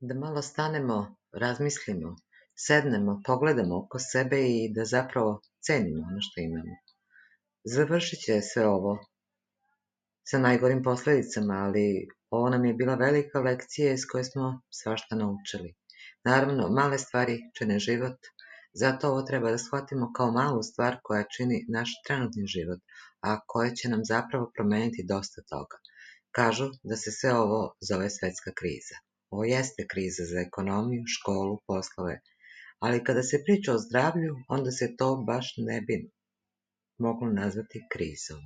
Da malo stanemo, razmislimo, sednemo, pogledamo oko sebe i da zapravo cenimo ono što imamo. Završit će sve ovo sa najgorim posledicama, ali ovo nam je bila velika lekcija iz koje smo svašta naučili. Naravno, male stvari čine život, zato ovo treba da shvatimo kao malu stvar koja čini naš trenutni život, a koja će nam zapravo promeniti dosta toga. Kažu da se sve ovo zove svetska kriza. Ovo jeste kriza za ekonomiju, školu, poslove, ali kada se priča o zdravlju, onda se to baš ne bi moglo nazvati krizom.